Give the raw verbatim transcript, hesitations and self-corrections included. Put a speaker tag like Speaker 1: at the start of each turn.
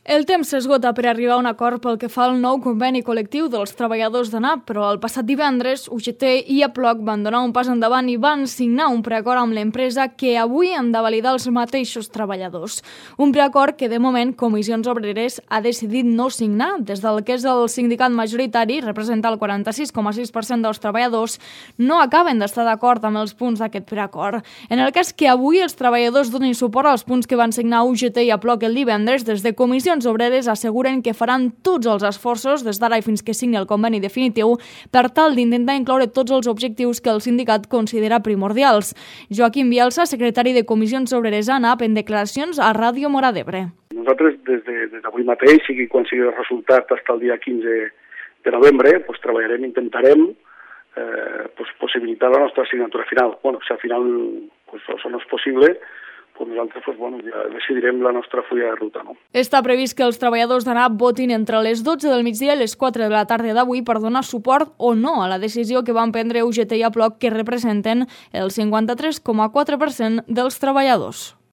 Speaker 1: El temps s'esgota per arribar a un acord pel que fa al nou conveni col·lectiu dels treballadors d'ANAP, però el passat divendres U G T i A P L O C van donar un pas endavant i van signar un preacord amb l'empresa que avui han de validar els mateixos treballadors. Un preacord que, de moment, Comissions Obreres ha decidit no signar. Des del que és el sindicat majoritari, representa el quaranta-sis coma sis per cent dels treballadors, no acaben d'estar d'acord amb els punts d'aquest preacord. En el cas que avui els treballadors donin suport als punts que van signar U G T i A P L O C el divendres, des de Comissions Obreres asseguren que faran tots els esforços des d'ara i fins que signi el conveni definitiu per tal d'intentar incloure tots els objectius que el sindicat considera primordials. Joaquim Bielsa, secretari de Comissions Obreres a ANAP, en declaracions a Ràdio Móra d'Ebre.
Speaker 2: Nosaltres, des d'avui mateix, sigui quan sigui el resultat fins al dia quinze de novembre, pues, treballarem, intentarem eh, pues, possibilitar la nostra assignatura final. Bueno, si al final pues, això no és possible, pues nosaltres pues, bueno, ja decidirem la nostra fulla de ruta. No?
Speaker 1: Està previst que els treballadors d'ANAP votin entre les dotze del migdia i les quatre de la tarda d'avui per donar suport o no a la decisió que van prendre U G T i A P L O C, que representen el cinquanta-tres coma quatre per cent dels treballadors.